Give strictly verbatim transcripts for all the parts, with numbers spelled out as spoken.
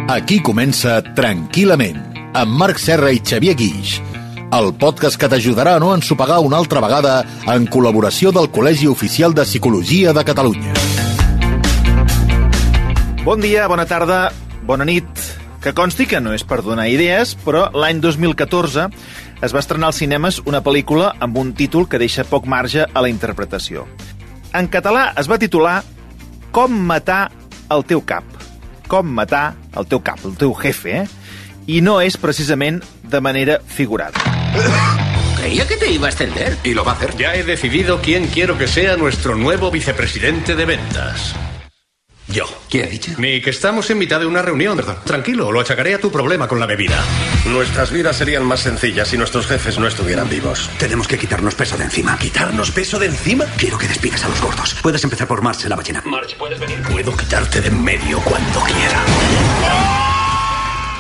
Aquí comença Tranquil·lament, amb Marc Serra i Xavier Guix, el podcast que t'ajudarà a no ensopegar una altra vegada en col·laboració del Col·legi Oficial de Psicologia de Catalunya. Bon dia, bona tarda, bona nit. Que consti que no és per donar idees, però l'any dos mil catorze es va estrenar als cinemes una pel·lícula amb un títol que deixa poc marge a la interpretació. En català es va titular Com matar el teu cap. Com matar el teu cap, el teu jefe, eh? I no és precisament de manera figurada. Creía que te iba a extender. Y lo va a hacer. Ya he decidido quién quiero que sea nuestro nuevo vicepresidente de ventas. Yo. ¿Qué ha dicho? Ni que estamos en mitad de una reunión. Perdón. Tranquilo, lo achacaré a tu problema con la bebida. Nuestras vidas serían más sencillas si nuestros jefes no estuvieran vivos. Tenemos que quitarnos peso de encima. ¿Quitarnos peso de encima? Quiero que despidas a los gordos. Puedes empezar por Marge, la ballena. Marge, puedes venir. Puedo quitarte de en medio cuando quiera.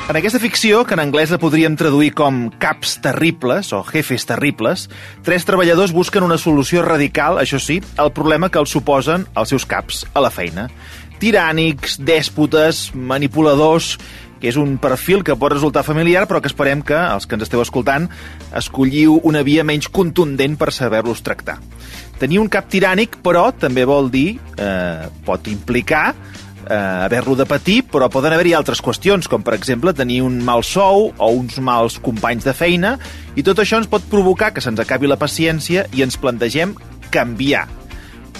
En aquesta ficció, que en anglès la podríem traduir com caps terribles o jefes terribles, tres treballadors busquen una solució radical, això sí, al problema que els suposen els seus caps a la feina. Tirànics, dèspotes, manipuladors, que és un perfil que pot resultar familiar, però que esperem que, els que ens esteu escoltant, escolliu una via menys contundent per saber-los tractar. Tenir un cap tirànic, però, també vol dir, eh, pot implicar eh, haver-lo de patir, però poden haver-hi altres qüestions, com per exemple tenir un mal sou o uns mals companys de feina, i tot això ens pot provocar que se'ns acabi la paciència i ens plantegem canviar.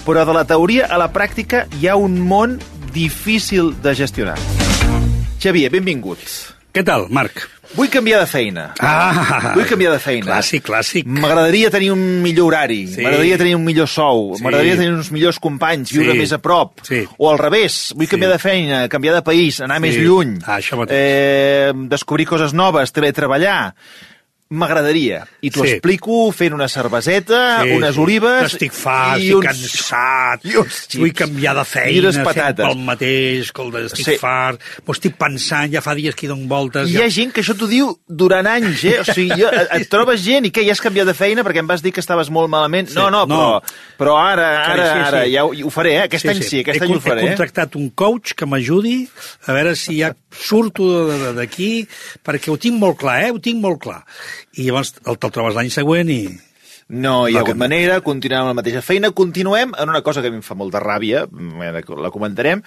Però de la teoria a la pràctica hi ha un món difícil de gestionar. Xavier, benvinguts. Què tal, Marc? Vull canviar de feina. Ah, Vull canviar de feina. Clàssic, clàssic. M'agradaria tenir un millor horari, Sí. m'agradaria tenir un millor sou, Sí. m'agradaria tenir uns millors companys, viure Sí. més a prop. Sí. O al revés, vull canviar Sí. de feina, canviar de país, anar Sí. més lluny, Ah, això mateix. eh, descobrir coses noves, teletreballar. M'agradaria. I t'ho Sí. explico fent una cerveseta, Sí, unes sí. olives... Estic fart, i estic uns- cansat, i uns vull xips. canviar de I feina, unes sempre patates. el mateix, escolta, estic Sí. fart, m'ho estic pensant, ja fa dies que hi dono voltes. I hi ja... ha gent que això t'ho diu durant anys, eh? O sigui, jo, et trobes gent i què, ja has canviat de feina perquè em vas dir que estaves molt malament? Sí. No, no, però, No. però ara, ara, Sí, sí, sí. ara, ja ho, ho faré, eh? Aquest any sí, aquest he, any ho He faré. eh? contractat un coach que m'ajudi a veure si ja surto de- de- d'aquí, perquè ho tinc molt clar, eh? Ho tinc molt clar. I llavors el te'l trobes l'any següent i... No hi ha Va hagut canviar. manera, continuem amb la mateixa feina, continuem en una cosa que a mi em fa molta ràbia, ara la comentarem,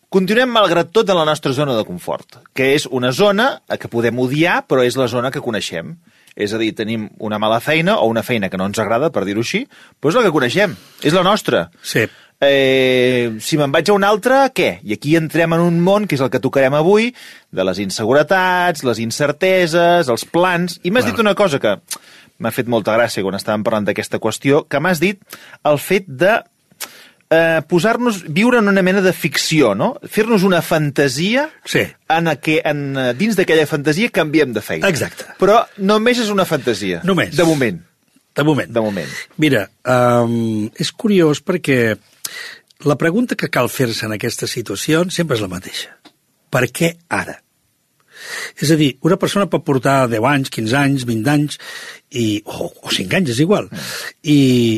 continuem malgrat tot en la nostra zona de confort, que és una zona que podem odiar, però és la zona que coneixem. És a dir, tenim una mala feina o una feina que no ens agrada, per dir-ho així, però és la que coneixem, és la nostra. Sí. Eh, si me'n vaig a una altra, què? I aquí entrem en un món, que és el que tocarem avui, de les inseguretats, les incerteses, els plans... I m'has Clar. dit una cosa que m'ha fet molta gràcia quan estàvem parlant d'aquesta qüestió, que m'has dit el fet de eh, posar-nos, viure en una mena de ficció, no? Fer-nos una fantasia Sí. en la que en, dins d'aquella fantasia canviem de feina. Exacte. Però només és una fantasia. Només. De moment. De moment. De moment. Mira, um, és curiós perquè la pregunta que cal fer-se en aquestes situacions sempre és la mateixa. Per què ara? És a dir, una persona pot portar deu anys, quinze anys, vint anys, i, o, o cinc anys, és igual. I,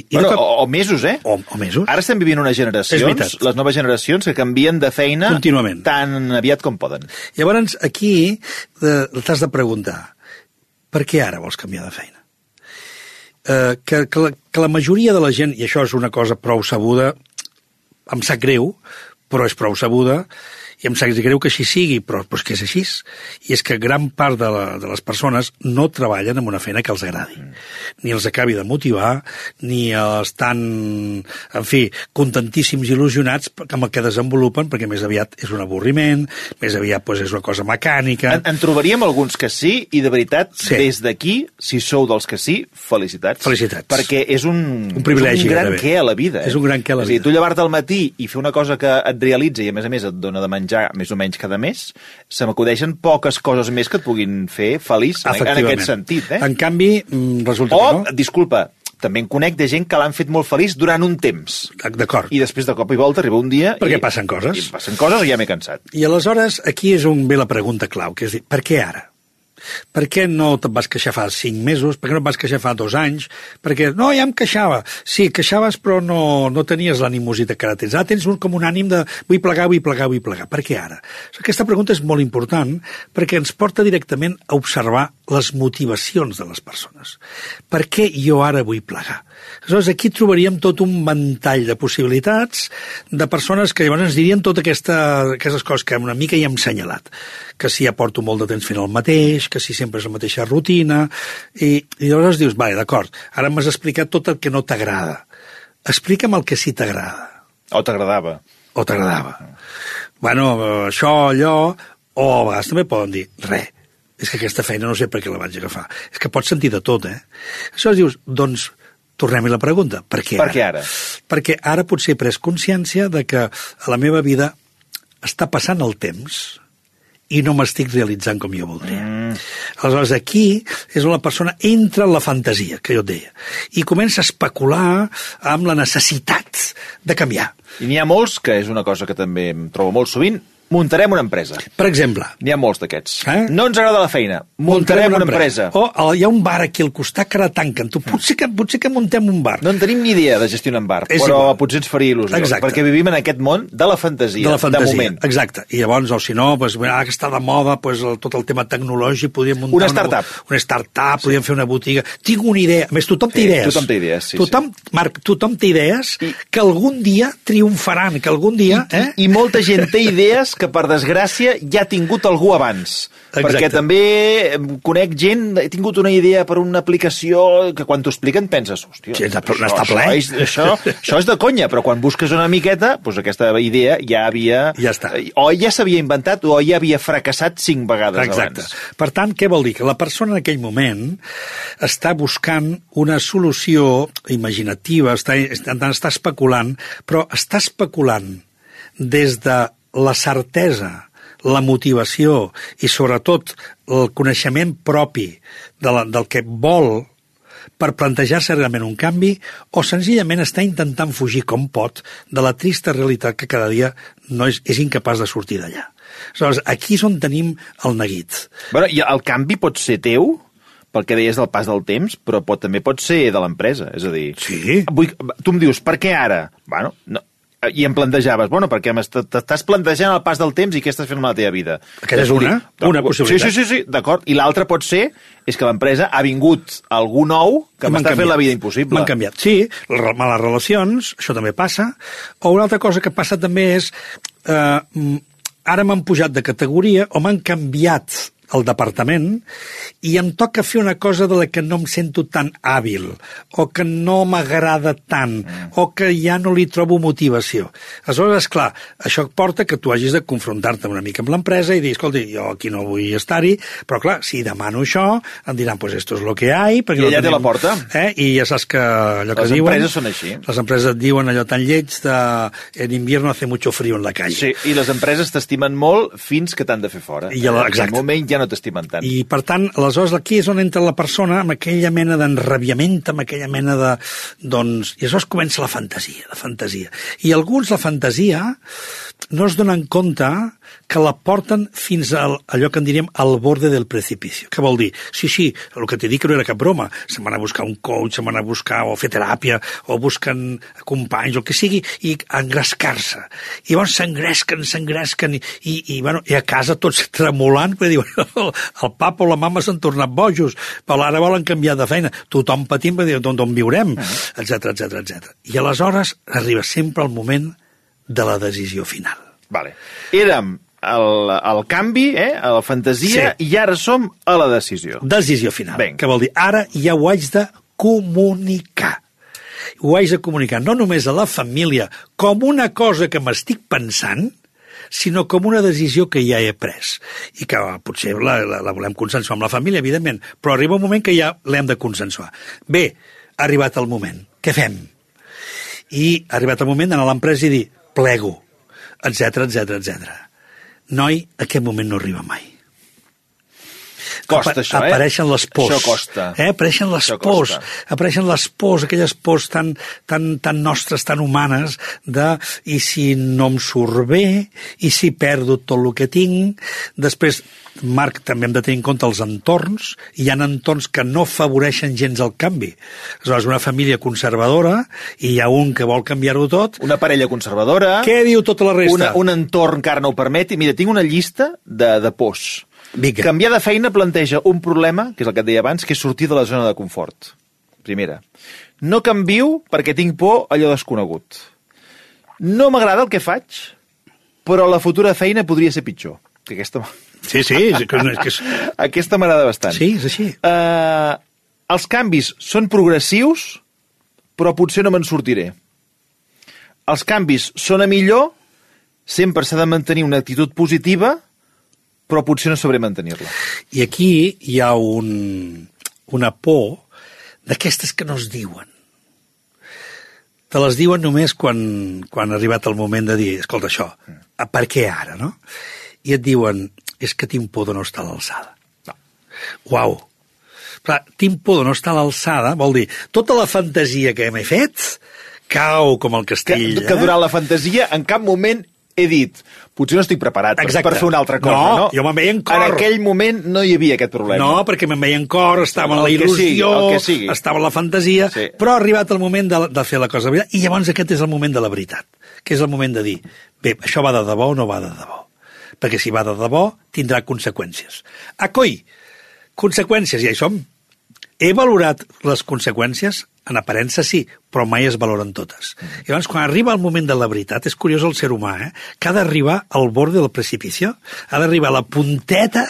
i Bueno, no cap... o, o mesos, eh? o, o mesos. Ara estem vivint unes És generacions, veritat. les noves generacions, que canvien de feina Contínuament. tan aviat com poden. Llavors, aquí eh, t'has de preguntar, per què ara vols canviar de feina? Eh, que, que, la, que la majoria de la gent, i això és una cosa prou sabuda, em sap greu, però és prou sabuda, i em sap greu que així sigui, però, però és que és així. I és que gran part de, la, de les persones no treballen en una feina que els agradi. Ni els acabi de motivar, ni estan, en fi, contentíssims i il·lusionats amb el que desenvolupen, perquè més aviat és un avorriment, més aviat doncs, és una cosa mecànica... En, en trobaríem alguns que sí, i de veritat, Sí. des d'aquí, si sou dels que sí, felicitats. Felicitats. Perquè és un, Un privilegi, és un gran gairebé. què a la vida. Eh? És un gran què a la És a dir, vida. tu llevar-te al matí i fer una cosa que et realitza i, a més a més, et dona de menjar més o menys cada mes, se m'acudeixen poques coses més que et puguin fer feliç en, en aquest sentit. Eh? En canvi, mm, resulta O, que no. disculpa, també en conec de gent que l'han fet molt feliç durant un temps. D'acord. I després de cop i volta arriba un dia... Perquè i, passen coses. I passen coses i ja m'he cansat. I aleshores aquí és on ve la pregunta clau, que és dir, per què ara? Per què no te'n vas queixar fa cinc mesos? Per què no et vas queixar fa dos anys? Perquè, no, ja em queixava. Sí, queixaves, però no, no tenies l'animositat que ara tens. Ara tens un, com un ànim de vull plegar, vull plegar, vull plegar. Per què ara? Aquesta pregunta és molt important perquè ens porta directament a observar les motivacions de les persones. Per què jo ara vull plegar? Aleshores, aquí trobaríem tot un ventall de possibilitats de persones que llavors ens dirien totes aquesta, aquestes coses que una mica ja hem senyalat. Que si ja porto molt de temps fent el mateix, que si sempre és la mateixa rutina, i, i llavors dius, vale, d'acord, ara m'has explicat tot el que no t'agrada. Explica'm el que sí t'agrada. O t'agradava. O t'agradava. Bueno, això, allò, o a vegades també poden dir, res, és que aquesta feina no sé per què la vaig agafar. És que pots sentir de tot, eh? Aleshores dius, doncs, tornem-hi la pregunta, per què ara? Per què ara? Perquè ara potser he pres consciència de que a la meva vida està passant el temps i no m'estic realitzant com jo voldria. Mm. Aleshores, aquí és on la persona entra en la fantasia, que jo et deia, i comença a especular amb la necessitat de canviar. I n'hi ha molts, que és una cosa que també em trobo molt sovint, muntarem una empresa. Per exemple. N'hi ha molts d'aquests. Eh? No ens agrada la feina, muntarem, muntarem una, una empresa. empresa. O oh, hi ha un bar aquí al costat que ara tanquen. Tu, potser, que, potser que muntem un bar. No en tenim ni idea de gestionar un bar, és però igual. Potser ens faria il·lusió. Exacte. Perquè vivim en aquest món de la fantasia, de, la fantasia, de moment. Exacte. I llavors, o si no, pues, ara que està de moda pues, el, tot el tema tecnològic, podríem muntar una startup. Una, una startup, sí. Podríem fer una botiga. Tinc una idea. A més, tothom té sí, idees. Tothom té idees, sí. Tothom, sí. Marc, tothom té idees I, que algun dia triomfaran, que algun dia... I, eh? I molta gent té idees que, per desgràcia, ja ha tingut algú abans. Exacte. Perquè també conec gent, he tingut una idea per una aplicació que quan t'ho expliquen penses, hòstia, sí, això, està ple. Això, és, això, això és de conya, però quan busques una miqueta, doncs aquesta idea ja havia... Ja està. O ja s'havia inventat o ja havia fracassat cinc vegades Exacte. abans. Per tant, què vol dir? Que la persona en aquell moment està buscant una solució imaginativa, està, està especulant, però està especulant des de la certesa, la motivació i sobretot el coneixement propi de la, del que vol per plantejar-se realment un canvi o senzillament està intentant fugir com pot de la trista realitat que cada dia no és, és incapaç de sortir d'allà. Aleshores, aquí és on tenim el neguit. Bueno, i el canvi pot ser teu, pel que deies del pas del temps, però pot, també pot ser de l'empresa. És a dir, sí. Vull, tu em dius, per què ara? Bueno, no, i em plantejaves, bueno, perquè t'estàs plantejant el pas del temps i què estàs fent amb la teva vida. Aquesta és una, una possibilitat. Sí, sí, sí, sí d'acord. I l'altra pot ser és que l'empresa ha vingut algú nou que m'està fent la vida impossible. M'han canviat. Sí, males relacions, això també passa. O una altra cosa que passa també és eh, ara m'han pujat de categoria o m'han canviat el departament i em toca fer una cosa de la que no em sento tan hàbil o que no m'agrada tant mm. o que ja no li trobo motivació. Aleshores, esclar, això porta que tu hagis de confrontar-te una mica amb l'empresa i dir, escolti, jo aquí no vull estar-hi, però clar, si demano això, em diran, pues esto es lo que hay. I allà no té la porta. Eh? I ja saps que allò que les diuen... Les empreses són així. Les empreses et diuen allò tan lleig de en invierno hace mucho frío en la calle. Sí, i les empreses t'estimen molt fins que t'han de fer fora. I la, exacte. En un moment ja no t'estimen tant. I, per tant, aleshores, aquí és on entra la persona amb aquella mena d'enrabiament, amb aquella mena de... Doncs, i aleshores comença la fantasia, la fantasia. I alguns, la fantasia, no es donen compte que la porten fins a allò que en diríem al borde del precipicio. Què vol dir? Sí, sí, el que t'he dit que no era cap broma. Se m'han a buscar un coach, se m'han a buscar o fer teràpia, o busquen companys, o el que sigui, i engrescar-se. I llavors s'engresquen, s'engresquen, i, i, i, bueno, i a casa tots tremolant, perquè diuen, el, el papa o la mama s'han tornat bojos, però ara volen canviar de feina. Tothom patint, perquè diuen, d'on viurem, etcètera, etcètera, etcètera. I aleshores arriba sempre el moment de la decisió final. Vale. Érem el, el canvi, eh, a la fantasia, sí. I ara som a la decisió. Decisió final. Ben. Que vol dir, ara ja ho haig de comunicar. Ho haig de comunicar no només a la família com una cosa que m'estic pensant, sinó com una decisió que ja he pres. I que potser la, la, la volem consensuar amb la família, evidentment, però arriba un moment que ja l'hem de consensuar. Bé, ha arribat el moment. Què fem? I ha arribat el moment d'anar a l'empresa i dir, plego, etcètera, etcètera, etcètera. Noi, aquest moment no arriba mai. Costa, això, eh? Apareixen les pors. Això costa. Eh? Apareixen les això pors. Costa. Apareixen les pors, aquelles pors tan, tan, tan nostres, tan humanes, de i si no em surt bé, i si perdo tot el que tinc. Després, Marc, també hem de tenir en compte els entorns. Hi ha entorns que no afavoreixen gens el canvi. Aleshores, una família conservadora, i hi ha un que vol canviar-ho tot. Una parella conservadora. Què diu tota la resta? Una, un entorn que ara no ho permeti. Mira, tinc una llista de, de pors. Vinga. Canviar de feina planteja un problema, que és el que et deia abans, que és sortir de la zona de confort. Primera. No canvio perquè tinc por a allò desconegut. No m'agrada el que faig, però la futura feina podria ser pitjor. Que aquesta... Sí, sí. És que, és que és... Aquesta m'agrada bastant. Sí, és així. Uh, els canvis són progressius, però potser no me'n sortiré. Els canvis són a millor, sempre s'ha de mantenir una actitud positiva, però potser no sabré mantenir-la. I aquí hi ha un, una por d'aquestes que no es diuen. Te les diuen només quan, quan ha arribat el moment de dir, escolta, això, per què ara, no? I et diuen, és que tinc por de no estar a l'alçada. No. Uau! Clar, tinc por de no estar a l'alçada, vol dir, tota la fantasia que m'he fet cau com el castell. Que, que durant la fantasia en cap moment he dit, potser no estic preparat per, per fer una altra cosa, no? No, jo me'n veia en cor. En aquell moment no hi havia aquest problema. No, perquè me'n veia en cor, estava en la el il·lusió, que sigui, estava en la fantasia, sí. Però ha arribat el moment de, de fer la cosa de veritat, i llavors aquest és el moment de la veritat, que és el moment de dir, bé, això va de debò o no va de debò? Perquè si va de debò, tindrà conseqüències. Ah, coi! Conseqüències, ja hi som. He valorat les conseqüències? En aparença sí, però mai es valoren totes. I llavors, quan arriba el moment de la veritat, és curiós el ser humà, eh? Que ha d'arribar al bord del precipici, ha d'arribar a la punteta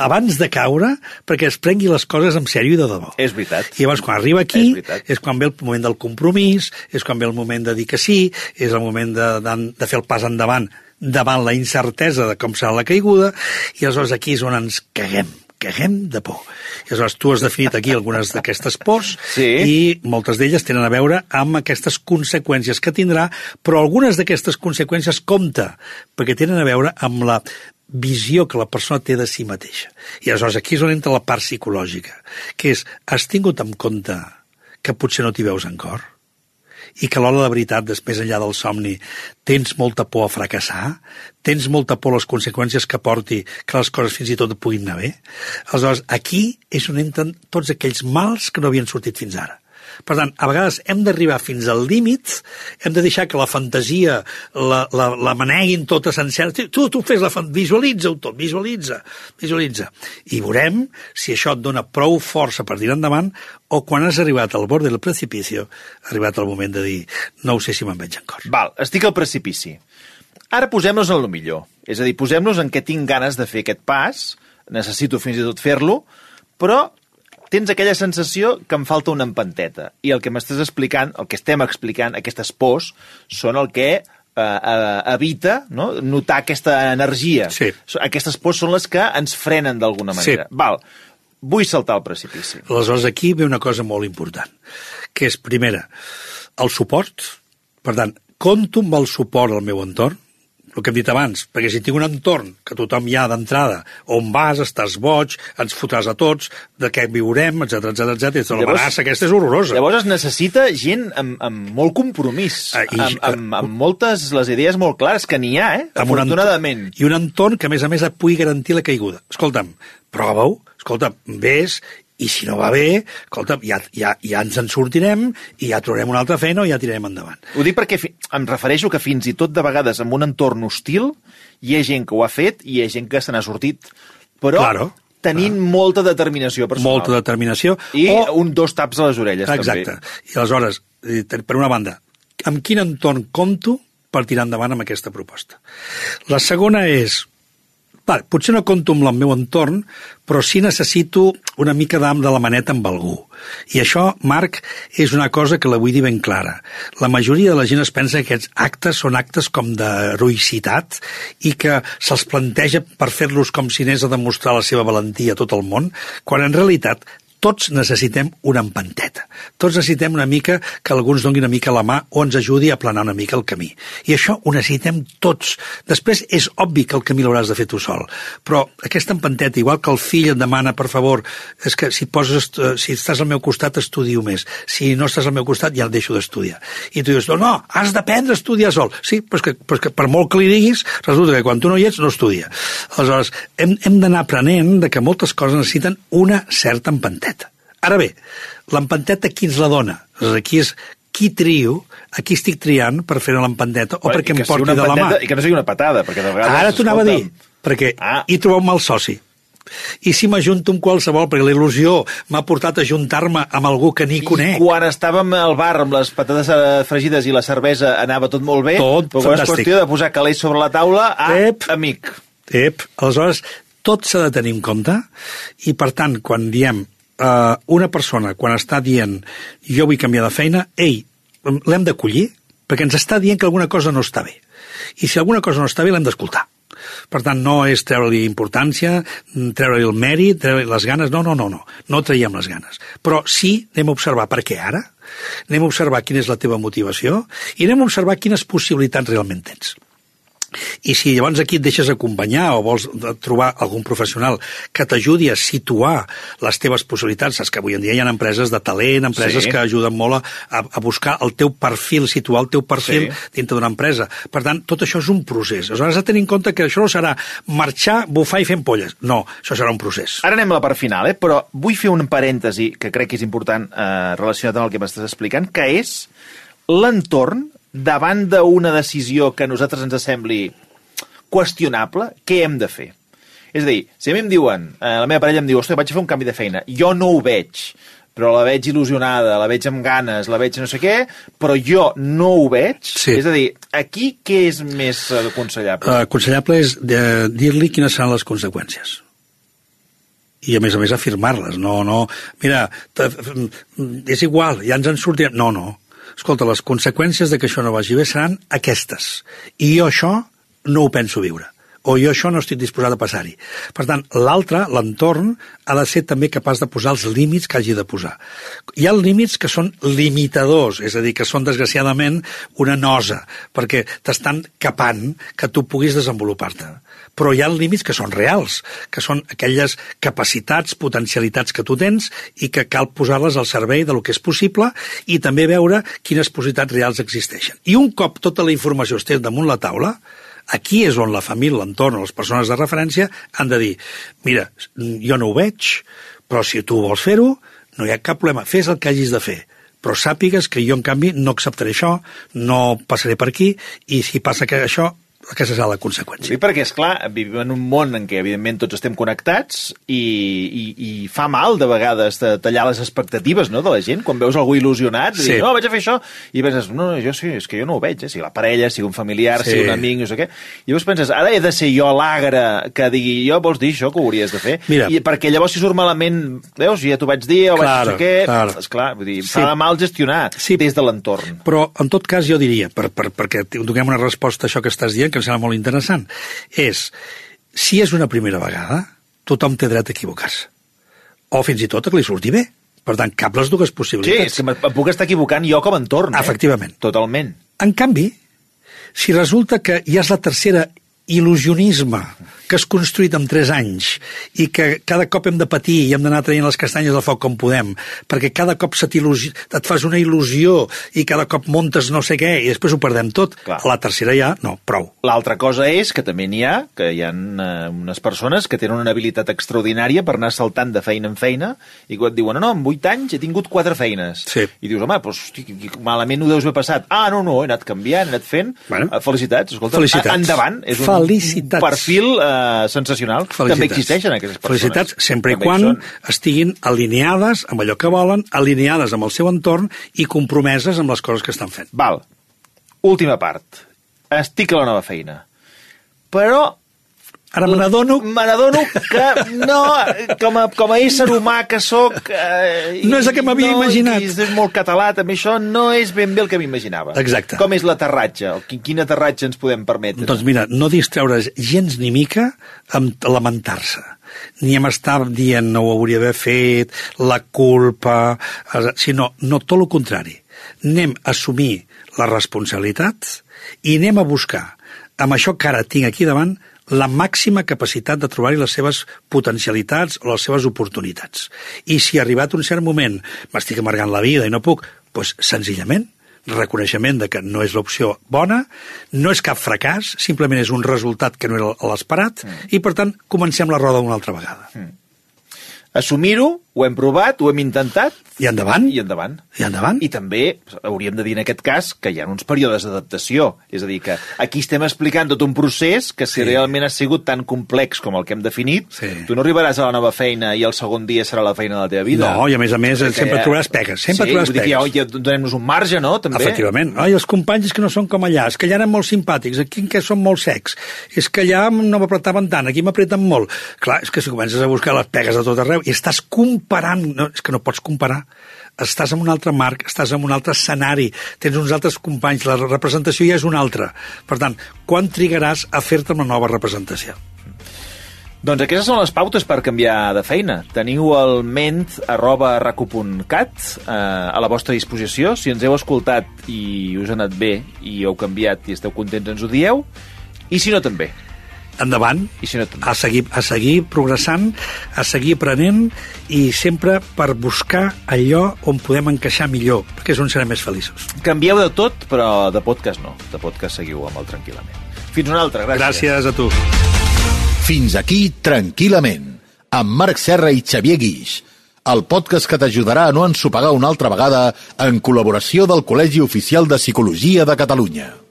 abans de caure perquè es prengui les coses en sèrio i de debò. És veritat. I llavors, quan arriba aquí, és, és quan ve el moment del compromís, és quan ve el moment de dir que sí, és el moment de, de, de fer el pas endavant davant la incertesa de com serà la caiguda, i aleshores aquí és on ens caguem. caguem de por. I aleshores tu has definit aquí algunes d'aquestes pors, sí. I moltes d'elles tenen a veure amb aquestes conseqüències que tindrà, però algunes d'aquestes conseqüències compta, perquè tenen a veure amb la visió que la persona té de si mateixa. I aleshores aquí és on entra la part psicològica, que és, has tingut en compte que potser no t'hi veus en cor? I que a l'hora de la veritat, després enllà del somni, tens molta por a fracassar? Tens molta por a les conseqüències que porti que les coses fins i tot puguin anar bé? Aleshores, aquí és on entren tots aquells mals que no havien sortit fins ara. Per tant, a vegades hem d'arribar fins al límit, hem de deixar que la fantasia la, la, la maneguin tota sencera. Tu, tu fes la fantasia, visualitza-ho tot, visualitza, visualitza. I veurem si això et dona prou força per tirar endavant, o quan has arribat al bord del precipici, ha arribat el moment de dir, no ho sé si me'n veig en cor. Val, estic al precipici. Ara posem-nos en el millor. És a dir, posem-nos en què tinc ganes de fer aquest pas, necessito fins i tot fer-lo, però tens aquella sensació que em falta una empanteta. I el que m'estàs explicant, el que estem explicant, aquestes pors, són el que eh, eh, evita, no?, notar aquesta energia. Sí. Aquestes pors són les que ens frenen d'alguna manera. Sí. Val, vull saltar al precipici. Aleshores, aquí ve una cosa molt important, que és, primera, el suport. Per tant, compto amb el suport al meu entorn, el que hem dit abans, perquè si tinc un entorn que tothom hi ha d'entrada, on vas, estàs boig, ens fotràs a tots, de què viurem, etcètera, etcètera, etcètera. L'amenaça aquesta és horrorosa. Llavors es necessita gent amb, amb molt compromís, ah, i, amb, amb, amb moltes les idees molt clares, que n'hi ha, eh? Afortunadament. I un entorn que, a més a més, et pugui garantir la caiguda. Escolta'm, prova-ho, escolta'm, vés, i si no va bé, escolta, ja, ja, ja ens en sortirem i ja trobarem una altra feina o ja tirarem endavant. Ho dic perquè em refereixo que fins i tot de vegades en un entorn hostil hi ha gent que ho ha fet i hi ha gent que se n'ha sortit, però claro, tenint claro. molta determinació personal. Molta determinació. I o... un dos taps a les orelles, exacte. també. I aleshores, per una banda, amb quin entorn compto per tirar endavant amb aquesta proposta? La segona és, va, potser no compto amb el meu entorn, però sí necessito una mica d'am de la maneta amb algú. I això, Marc, és una cosa que la vull dir ben clara. La majoria de la gent es pensa que aquests actes són actes com d'heroïcitat i que se'ls planteja per fer-los com si anés a demostrar la seva valentia a tot el món, quan en realitat tots necessitem una empanteta. Tots necessitem una mica que algú ens doni una mica la mà o ens ajudi a planar una mica el camí. I això ho necessitem tots. Després és obvi que el camí l'hauràs de fer tu sol, però aquesta empanteta, igual que el fill et demana, per favor, és que si, poses, si estàs al meu costat estudio més, si no estàs al meu costat ja el deixo d'estudiar. I tu dius, no, no, has d'aprendre a estudiar sol. Sí, però és que, però és que per molt que li diguis, resulta que quan tu no hi ets no estudia. Aleshores, hem, hem d'anar aprenent de que moltes coses necessiten una certa empanteta. Ara bé, l'empanteta qui ens la dona? Aquí és qui trio, a qui estic triant per fer l'empanteta o perquè em porti de la mà. I que no sigui una patada, perquè de vegades... Ara t'ho anava a dir, perquè ah. hi trobo un mal soci. I si m'ajunto amb qualsevol, perquè la il·lusió m'ha portat a ajuntar-me amb algú que ni I conec. Quan estàvem al bar amb les patates fregides i la cervesa anava tot molt bé, tot però quan és qüestió de posar calés sobre la taula, ah, Ep. amic. Ep. Aleshores, tot s'ha de tenir en compte i, per tant, quan diem Uh, una persona, quan està dient jo vull canviar de feina, ei, l'hem d'acollir, perquè ens està dient que alguna cosa no està bé. I si alguna cosa no està bé, l'hem d'escoltar. Per tant, no és treure-li importància, treure-li el mèrit, treure-li les ganes, no, no, no, no, no traiem les ganes. Però sí, anem a observar per què ara, anem a observar quina és la teva motivació i anem a observar quines possibilitats realment tens. I si llavors aquí et deixes acompanyar o vols trobar algun professional que t'ajudi a situar les teves possibilitats, saps que avui en dia hi ha empreses de talent, empreses sí. que ajuden molt a, a buscar el teu perfil, situar el teu perfil sí. dintre d'una empresa. Per tant, tot això és un procés. Aleshores, has de tenir en compte que això no serà marxar, bufar i fer ampolles. No, això serà un procés. Ara anem a la part final, eh? Però vull fer un parèntesi que crec que és important eh, relacionat amb el que m'estàs explicant, que és l'entorn davant d'una decisió que a nosaltres ens sembli qüestionable, què hem de fer? És a dir, si a mi em diuen, eh, la meva parella em diu, ostres, vaig a fer un canvi de feina, jo no ho veig, però la veig il·lusionada, la veig amb ganes, la veig no sé què, però jo no ho veig, sí. És a dir, aquí què és més aconsellable? Uh, aconsellable és de dir-li quines seran les conseqüències. I, a més a més, afirmar-les. No, no, mira, és igual, ja ens en sortirem. No, no. Escolta, les conseqüències de que això no vagi bé seran aquestes. I jo això no ho penso viure. O jo això no estic disposat a passar-hi. Per tant, l'altre, l'entorn, ha de ser també capaç de posar els límits que hagi de posar. Hi ha límits que són limitadors, és a dir, que són desgraciadament una nosa, perquè t'estan capant que tu puguis desenvolupar-te. Però hi ha límits que són reals, que són aquelles capacitats, potencialitats que tu tens i que cal posar-les al servei del que és possible i també veure quines possibilitats reals existeixen. I un cop tota la informació estés damunt la taula, aquí és on la família, l'entorn, les persones de referència han de dir, mira, jo no ho veig, però si tu vols fer-ho, no hi ha cap problema, fes el que hagis de fer. Però sàpigues que jo, en canvi, no acceptaré això, no passaré per aquí, i si passa que això, aquesta serà la conseqüència. Sí, perquè, esclar, vivim en un món en què, evidentment, tots estem connectats i, i, i fa mal, de vegades, de tallar les expectatives, no?, de la gent, quan veus algú il·lusionat, sí. Dir, no, vaig a fer això, i penses, no, no, jo sí, és que jo no ho veig, eh? Si la parella, si un familiar, sí. Si un amic, no sé què, i llavors penses, ara he de ser jo l'agre que digui, jo vols dir això, que ho hauries de fer? Mira. I perquè llavors si surt malament, veus, ja t'ho vaig dir, o claro, vaig no sé què, claro. Esclar, vull dir, sí. Fa de mal gestionar sí. Des de l'entorn. Però, en tot cas, jo diria, per, per, perquè donem una resposta a això que estàs dient, que em sembla molt interessant, és, si és una primera vegada, tothom té dret a equivocar-se. O fins i tot a que li surti bé. Per tant, cap les dues possibilitats. Sí, és que em puc estar equivocant jo com a entorn. Efectivament. Eh? Totalment. En canvi, si resulta que ja és la tercera il·lusionisme que has construït en tres anys i que cada cop hem de patir i hem d'anar traient les castanyes del foc com podem, perquè cada cop se et fas una il·lusió i cada cop montes no sé què i després ho perdem tot. Clar. A la tercera ja, no, prou. L'altra cosa és que també n'hi ha, que hi ha eh, unes persones que tenen una habilitat extraordinària per anar saltant de feina en feina i quan et diuen, no, no, en vuit anys he tingut quatre feines. Sí. I dius, home, doncs, hosti, malament ho deus haver passat. Ah, no, no, he anat canviant, he anat fent. Bueno, felicitats, escolta, felicitats. Endavant. És un, felicitats. Un perfil eh, sensacional. Felicitats. També existeixen aquestes persones. Felicitats, sempre també i quan són... estiguin alineades amb allò que volen, alineades amb el seu entorn i compromeses amb les coses que estan fent. Val. Última part. Estic a la nova feina. Però... Ara me n'adono... Me n'adono que no, com a, com a ésser humà que sóc... Eh, no és el que m'havia no, imaginat. És molt català, també això no és ben bé el que m'imaginava. Exacte. Com és l'aterratge? Quin, quin aterratge ens podem permetre? Doncs mira, no distreure's gens ni mica amb lamentar-se. ni hem estat dient no ho hauria d'haver fet, la culpa, sinó no, tot el contrari. Anem a assumir les responsabilitats i anem a buscar, amb això que ara tinc aquí davant, la màxima capacitat de trobar-hi les seves potencialitats o les seves oportunitats. I si arribat un cert moment m'estic amargant la vida i no puc, doncs senzillament reconeixement de que no és l'opció bona, no és cap fracàs, simplement és un resultat que no era l'esperat, mm. i per tant comencem la roda una altra vegada. Mm. Assumir-ho, ho hem provat, ho hem intentat... I endavant. I endavant. I endavant. I també hauríem de dir en aquest cas que hi ha uns períodes d'adaptació. És a dir, que aquí estem explicant tot un procés que si sí. realment ha sigut tan complex com el que hem definit, sí. tu no arribaràs a la nova feina i el segon dia serà la feina de la teva vida. No, i a més a més Perquè sempre trobaràs pegues. Sempre sí, trobaràs vull dir pegues. que ja, ja donem-nos un marge, no? També. Efectivament. Ai, els companys és que no són com allà, és que allà eren molt simpàtics, aquí que són molt secs, és que allà no m'apretaven tant, aquí m'apreten molt. Clar, és que si comences a buscar les pegues a tot arreu i estàs comparant, no, és que no pots comparar, estàs en un altre marc, estàs en un altre escenari, tens uns altres companys, la representació ja és una altra. Per tant, quan trigaràs a fer-te una nova representació? Doncs aquestes són les pautes per canviar de feina. Teniu el ment arroba raco punt cat eh, a la vostra disposició. Si ens heu escoltat i us ha anat bé i heu canviat i esteu contents, ens ho dieu. I si no, també. Endavant, I si no, també. a, seguir, a seguir progressant, a seguir aprenent i sempre per buscar allò on podem encaixar millor, perquè és on serem més feliços. Canvieu de tot, però de podcast no. De podcast seguiu amb el Tranquil·lament. Fins una altra, gràcies. Gràcies a tu. Fins aquí Tranquil·lament, amb Marc Serra i Xavier Guix, el podcast que t'ajudarà a no ensopegar una altra vegada en col·laboració del Col·legi Oficial de Psicologia de Catalunya.